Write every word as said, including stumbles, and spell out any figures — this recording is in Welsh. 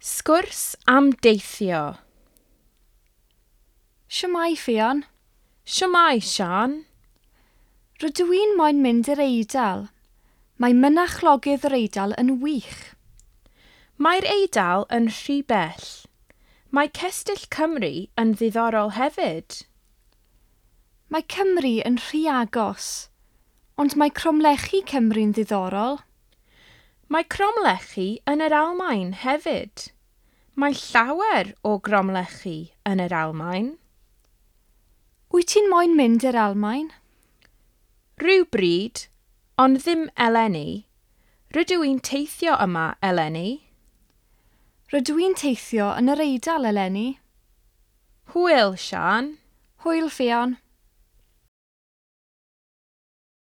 Sgwrs am deithio. Shwmae, Ffion? Shwmae, Sian? Rydw i'n moyn mynd i'r Eidal. Mae mynachlogydd yr Eidal yn wych. Mae'r Eidal yn rhy bell. Mae Cestyll Cymru yn ddiddorol hefyd. Mae Cymru yn rhy agos, ond mae cromlechi Cymru'n ddiddorol. Mae cromlechi yn yr Almaen hefyd. Mae llawer o gromlechi yn yr Almaen. Wyt ti'n moyn mynd i'r Almaen? Rhywbryd, ond ddim eleni. Rydw i'n teithio yma eleni. Rydw i'n teithio yn yr Eidal eleni. Hwyl, Sian. Hwyl, Ffion.